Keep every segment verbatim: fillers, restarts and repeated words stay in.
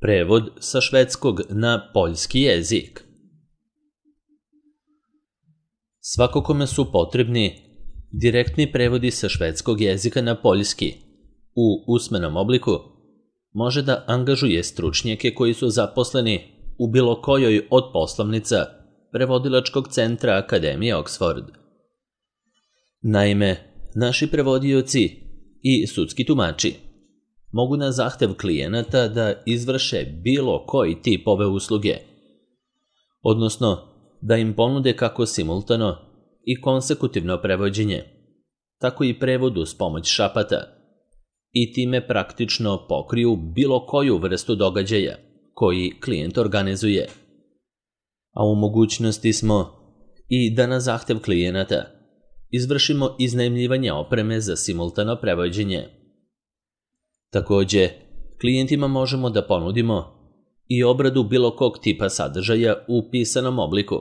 Prevod sa švedskog na poljski jezik. Svako kome su potrebni direktni prevodi sa švedskog jezika na poljski u usmenom obliku, može da angažuje stručnjake koji su zaposleni u bilo kojoj od poslovnica Prevodilačkog centra Akademije Oxford. Naime, naši prevodioci i sudski tumači mogu na zahtev klijenata da izvrše bilo koji tip ove usluge, odnosno da im ponude kako simultano i konsekutivno prevođenje, tako i prevod uz pomoć šapata i time praktično pokriju bilo koju vrstu događaja koji klijent organizuje. A u mogućnosti smo i da na zahtev klijenata izvršimo iznajmljivanje opreme za simultano prevođenje. Takođe, klijentima možemo da ponudimo i obradu bilo kog tipa sadržaja u pisanom obliku,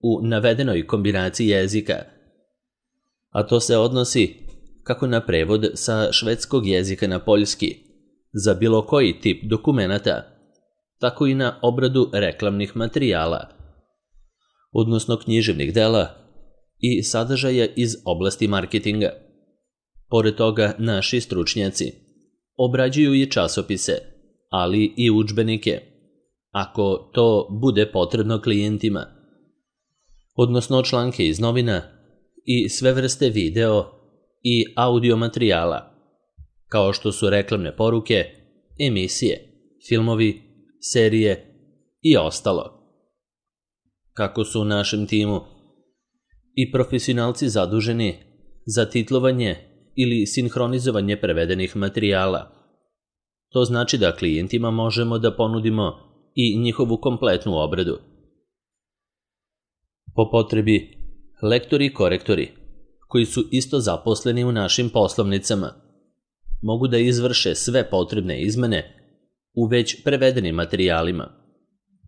u navedenoj kombinaciji jezika, a to se odnosi kako na prevod sa švedskog jezika na poljski za bilo koji tip dokumenata, tako i na obradu reklamnih materijala, odnosno književnih dela i sadržaja iz oblasti marketinga. Pored toga, naši stručnjaci obrađuju i časopise, ali i udžbenike, ako to bude potrebno klijentima, odnosno članke iz novina i sve vrste video i audio materijala, kao što su reklamne poruke, emisije, filmovi, serije i ostalo. Kako su u našem timu i profesionalci zaduženi za titlovanje ili sinhronizovanje prevedenih materijala, to znači da klijentima možemo da ponudimo i njihovu kompletnu obradu. Po potrebi, lektori i korektori, koji su isto zaposleni u našim poslovnicama, mogu da izvrše sve potrebne izmene u već prevedenim materijalima,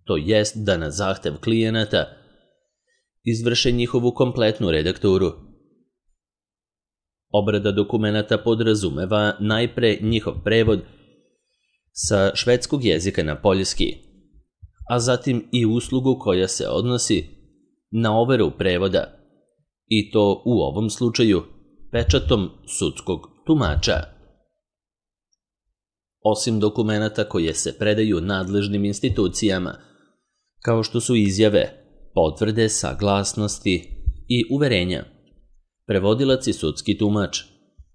to jest da na zahtev klijenata izvrše njihovu kompletnu redakturu. Obrada dokumenata podrazumeva najpre njihov prevod sa švedskog jezika na poljski, a zatim i uslugu koja se odnosi na overu prevoda, i to u ovom slučaju pečatom sudskog tumača. Osim dokumenata koje se predaju nadležnim institucijama, kao što su izjave, potvrde, saglasnosti i uverenja, prevodilac i sudski tumač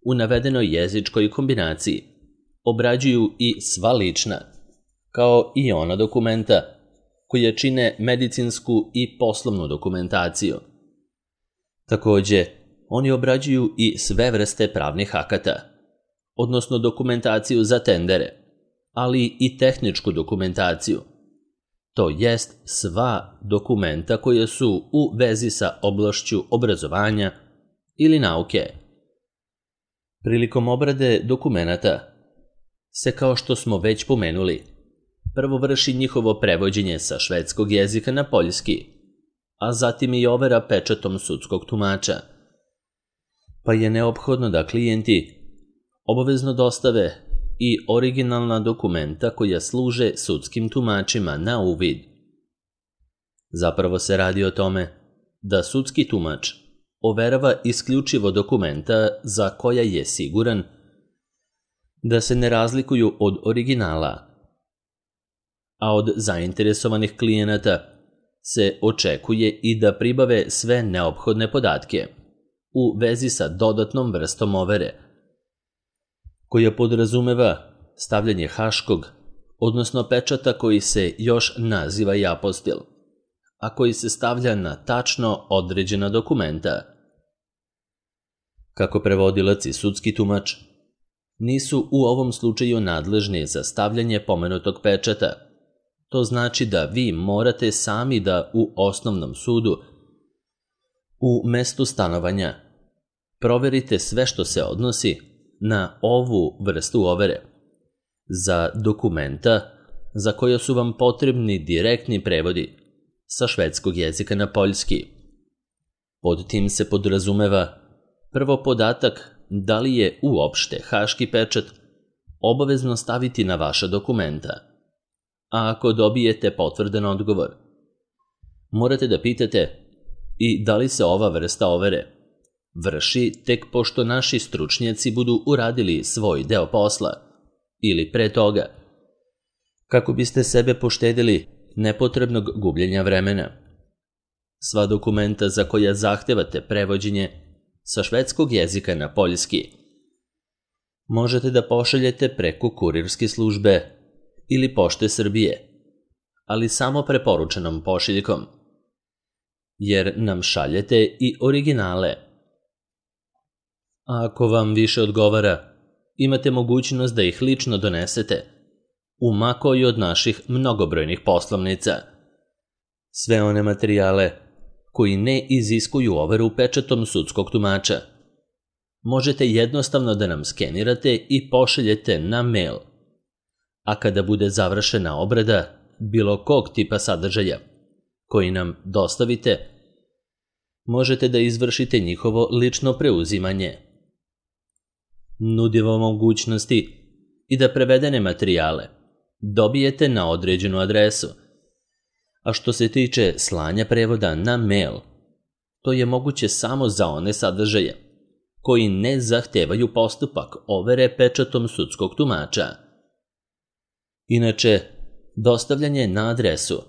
u navedenoj jezičkoj kombinaciji obrađuju i sva lična, kao i ona dokumenta koja čine medicinsku i poslovnu dokumentaciju. Takođe, oni obrađuju i sve vrste pravnih akata, odnosno dokumentaciju za tendere, ali i tehničku dokumentaciju, to jest sva dokumenta koja su u vezi sa oblašću obrazovanja ili nauke. Prilikom obrade dokumenata se, kao što smo već pomenuli, prvo vrši njihovo prevođenje sa švedskog jezika na poljski, a zatim i overa pečatom sudskog tumača, pa je neophodno da klijenti obavezno dostave i originalna dokumenta koja služe sudskim tumačima na uvid. Zapravo se radi o tome da sudski tumač overava isključivo dokumenta za koja je siguran da se ne razlikuju od originala, a od zainteresovanih klijenata se očekuje i da pribave sve neophodne podatke u vezi sa dodatnom vrstom overe, koja podrazumeva stavljanje haškog, odnosno pečata koji se još naziva i apostil, a koji se stavlja na tačno određena dokumenta. Kako prevodilac i sudski tumač nisu u ovom slučaju nadležni za stavljanje pomenutog pečata, to znači da vi morate sami da u osnovnom sudu, u mestu stanovanja, proverite sve što se odnosi na ovu vrstu overe za dokumenta za koja su vam potrebni direktni prevodi sa švedskog jezika na poljski. Pod tim se podrazumeva prvo podatak da li je uopšte haški pečat obavezno staviti na vaša dokumenta, a ako dobijete potvrdan odgovor, morate da pitate i da li se ova vrsta overe vrši tek pošto naši stručnjaci budu uradili svoj deo posla ili pre toga, kako biste sebe poštedili nepotrebnog gubljenja vremena. Sva dokumenta za koja zahtevate prevođenje sa švedskog jezika na poljski možete da pošaljete preko kurirske službe ili Pošte Srbije, ali samo preporučenom pošiljkom, jer nam šaljete i originale. A ako vam više odgovara, imate mogućnost da ih lično donesete u ma koju od naših mnogobrojnih poslovnica. Sve one materijale koji ne iziskuju overu pečatom sudskog tumača možete jednostavno da nam skenirate i pošaljete na mail, a kada bude završena obrada bilo kog tipa sadržaja koji nam dostavite, možete da izvršite njihovo lično preuzimanje. Nudimo mogućnosti i da prevedene materijale dobijete na određenu adresu, a što se tiče slanja prevoda na mail, to je moguće samo za one sadržaje koji ne zahtevaju postupak overe pečatom sudskog tumača. Inače, dostavljanje na adresu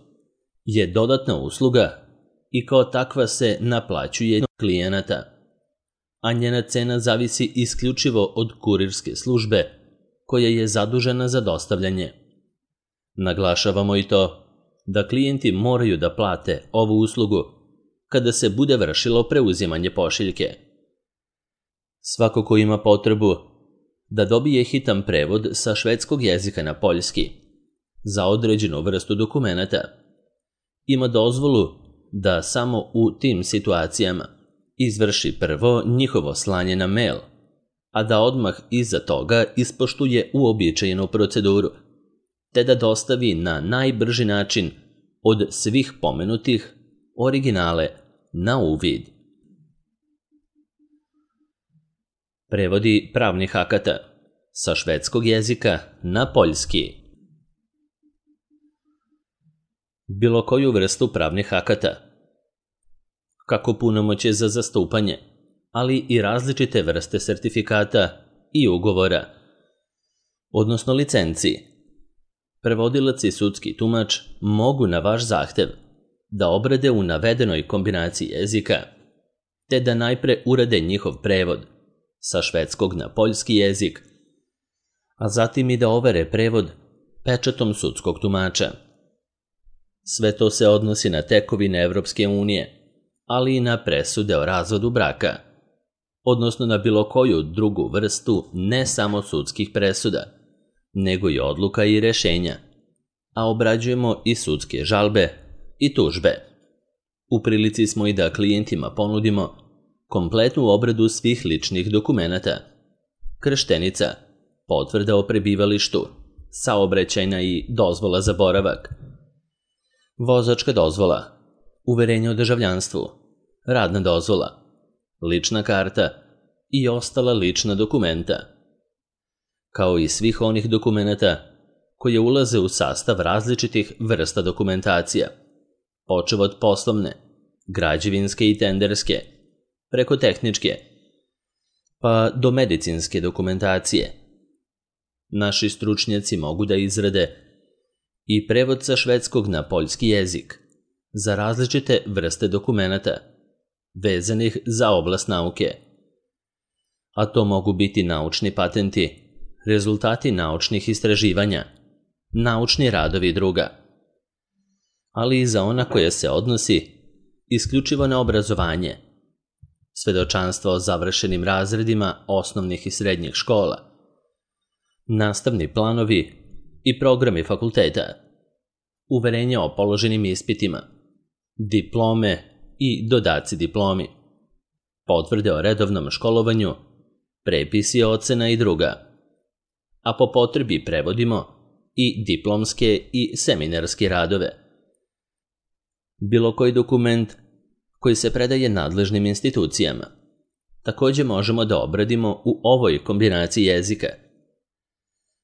je dodatna usluga i kao takva se naplaćuje klijenata, a njena cena zavisi isključivo od kurirske službe koja je zadužena za dostavljanje. Naglašavamo i to da klijenti moraju da plate ovu uslugu kada se bude vršilo preuzimanje pošiljke. Svako ko ima potrebu da dobije hitan prevod sa švedskog jezika na poljski za određenu vrstu dokumenata, ima dozvolu da samo u tim situacijama izvrši prvo njihovo slanje na mail, a da odmah iza toga ispoštuje uobičajenu proceduru, te da dostavi na najbrži način od svih pomenutih originale na uvid. Prevodi pravnih akata sa švedskog jezika na poljski. Bilo koju vrstu pravnih akata, kako punomoćje za zastupanje, ali i različite vrste sertifikata i ugovora, odnosno licenciji. Prevodilac i sudski tumač mogu na vaš zahtev da obrade u navedenoj kombinaciji jezika, te da najpre urade njihov prevod sa švedskog na poljski jezik, a zatim i da overe prevod pečatom sudskog tumača. Sve to se odnosi na tekovine Evropske unije, ali i na presude o razvodu braka, odnosno na bilo koju drugu vrstu ne samo sudskih presuda, nego i odluka i rešenja, a obrađujemo i sudske žalbe i tužbe. U prilici smo i da klijentima ponudimo kompletnu obradu svih ličnih dokumenata, krštenica, potvrda o prebivalištu, saobraćajna i dozvola za boravak, vozačka dozvola, uverenje o državljanstvu, radna dozvola, lična karta i ostala lična dokumenta, kao i svih onih dokumenata koje ulaze u sastav različitih vrsta dokumentacija, počev od poslovne, građevinske i tenderske, preko tehničke, pa do medicinske dokumentacije. Naši stručnjaci mogu da izrade i prevod sa švedskog na poljski jezik za različite vrste dokumenata vezanih za oblast nauke. A to mogu biti naučni patenti, rezultati naučnih istraživanja, naučni radovi i druga, ali i za ona koja se odnosi isključivo na obrazovanje, svedočanstva o završenim razredima osnovnih i srednjih škola, nastavni planovi i programi fakulteta, uverenja o položenim ispitima, diplome i dodaci diplomi, potvrde o redovnom školovanju, prepisi ocena i druga, a po potrebi prevodimo i diplomske i seminarske radove. Bilo koji dokument koji se predaje nadležnim institucijama takođe možemo da obradimo u ovoj kombinaciji jezika,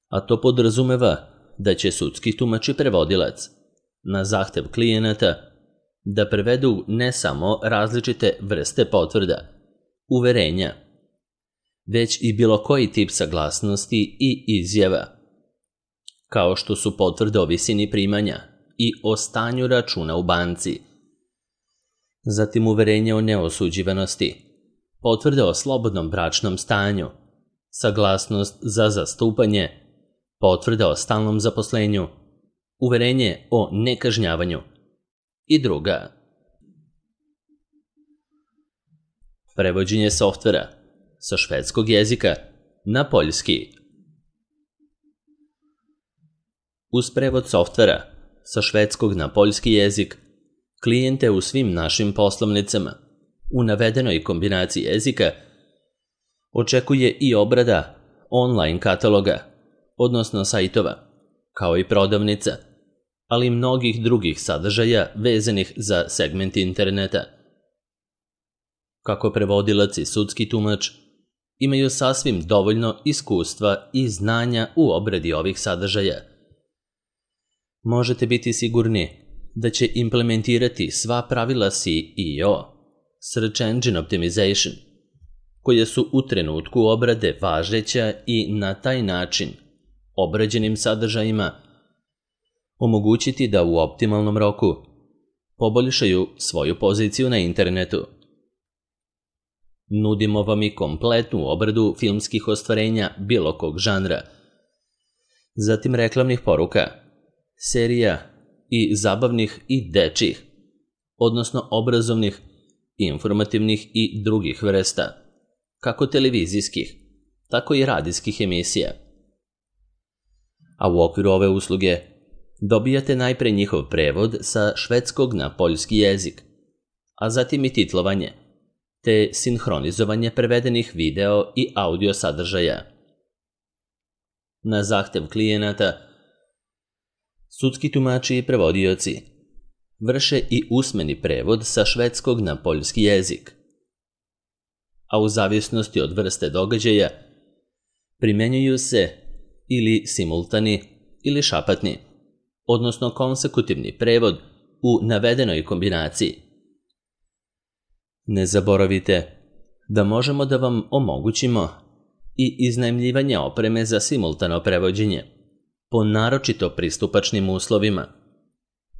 a to podrazumeva da će sudski tumač i prevodilac na zahtev klijenata da prevedu ne samo različite vrste potvrda, uverenja, već i bilo koji tip saglasnosti i izjava, kao što su potvrde o visini primanja i o stanju računa u banci, zatim uverenje o neosuđivanosti, potvrde o slobodnom bračnom stanju, saglasnost za zastupanje, potvrde o stalnom zaposlenju, uverenje o nekažnjavanju i druga. Prevođenje softvera sa švedskog jezika na poljski. Uz prevod softvera sa švedskog na poljski jezik, klijente u svim našim poslovnicama u navedenoj kombinaciji jezika očekuje i obrada online kataloga, odnosno sajtova, kao i prodavnica, ali i mnogih drugih sadržaja vezanih za segment interneta. Kako prevodilac i sudski tumač imaju sasvim dovoljno iskustva i znanja u obradi ovih sadržaja, možete biti sigurni da će implementirati sva pravila S E O, Search Engine Optimization, koje su u trenutku obrade važeća i na taj način obrađenim sadržajima omogućiti da u optimalnom roku poboljšaju svoju poziciju na internetu. Nudimo vam i kompletnu obradu filmskih ostvarenja bilo kog žanra, zatim reklamnih poruka, serija i zabavnih i dečjih, odnosno obrazovnih, informativnih i drugih vrsta, kako televizijskih, tako i radijskih emisija. A u okviru ove usluge dobijate najpre njihov prevod sa švedskog na poljski jezik, a zatim i titlovanje, te sinhronizovanje prevedenih video i audio sadržaja. Na zahtev klijenata, sudski tumači i prevodioci vrše i usmeni prevod sa švedskog na poljski jezik, a u zavisnosti od vrste događaja primenjuju se ili simultani ili šapatni, odnosno konsekutivni prevod u navedenoj kombinaciji. Ne zaboravite da možemo da vam omogućimo i iznajmljivanje opreme za simultano prevođenje po naročito pristupačnim uslovima,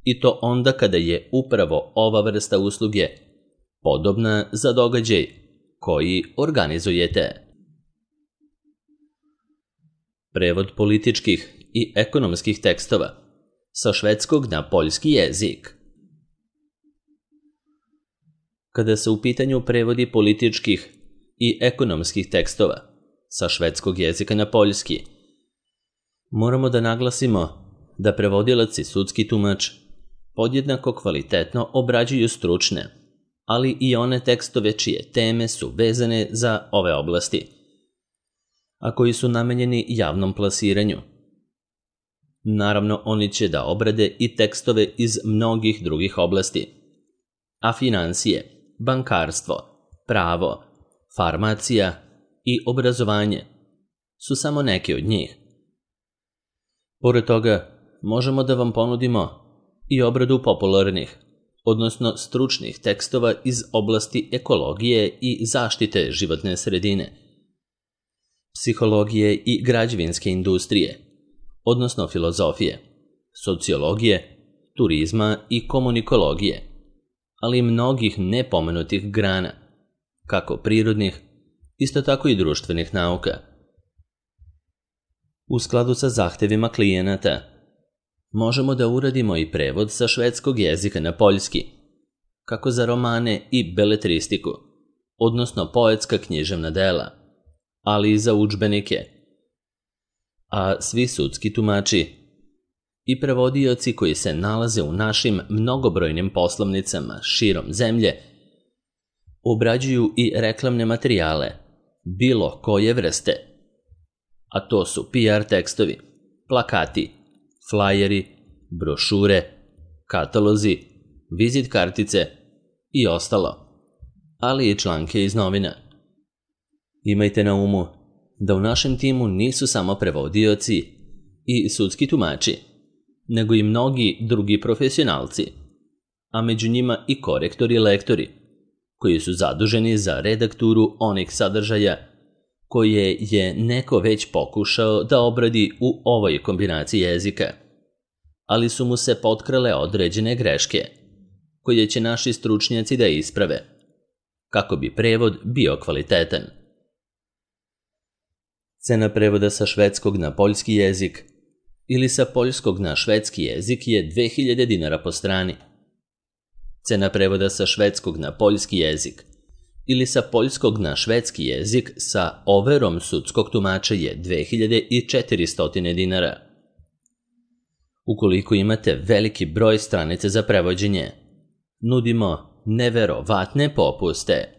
i to onda kada je upravo ova vrsta usluge podobna za događaj koji organizujete. Prevod političkih i ekonomskih tekstova sa švedskog na poljski jezik. Kada se u pitanju prevodi političkih i ekonomskih tekstova sa švedskog jezika na poljski, moramo da naglasimo da prevodilac i sudski tumač podjednako kvalitetno obrađuju stručne, ali i one tekstove čije teme su vezane za ove oblasti, a koji su namenjeni javnom plasiranju. Naravno, oni će da obrade i tekstove iz mnogih drugih oblasti, a financije, bankarstvo, pravo, farmacija i obrazovanje su samo neke od njih. Pored toga, možemo da vam ponudimo i obradu popularnih, odnosno stručnih tekstova iz oblasti ekologije i zaštite životne sredine, psihologije i građevinske industrije, odnosno filozofije, sociologije, turizma i komunikologije, ali i mnogih nepomenutih grana, kako prirodnih, isto tako i društvenih nauka. U skladu sa zahtevima klijenata, možemo da uradimo i prevod sa švedskog jezika na poljski, kako za romane i beletristiku, odnosno poetska književna dela, ali i za udžbenike. A svi sudski tumači i prevodioci koji se nalaze u našim mnogobrojnim poslovnicama širom zemlje obrađuju i reklamne materijale bilo koje vrste, a to su P R tekstovi, plakati, flajeri, brošure, katalozi, vizit kartice i ostalo, ali i članke iz novina. Imajte na umu da u našem timu nisu samo prevodioci i sudski tumači, nego i mnogi drugi profesionalci, a među njima i korektori i lektori, koji su zaduženi za redakturu onih sadržaja koje je neko već pokušao da obradi u ovoj kombinaciji jezika, ali su mu se potkrale određene greške, koje će naši stručnjaci da isprave, kako bi prevod bio kvalitetan. Cena prevoda sa švedskog na poljski jezik ili sa poljskog na švedski jezik je dve hiljade dinara po strani. Cena prevoda sa švedskog na poljski jezik ili sa poljskog na švedski jezik sa overom sudskog tumača je dve hiljade četiristo dinara. Ukoliko imate veliki broj stranica za prevođenje, nudimo neverovatne popuste.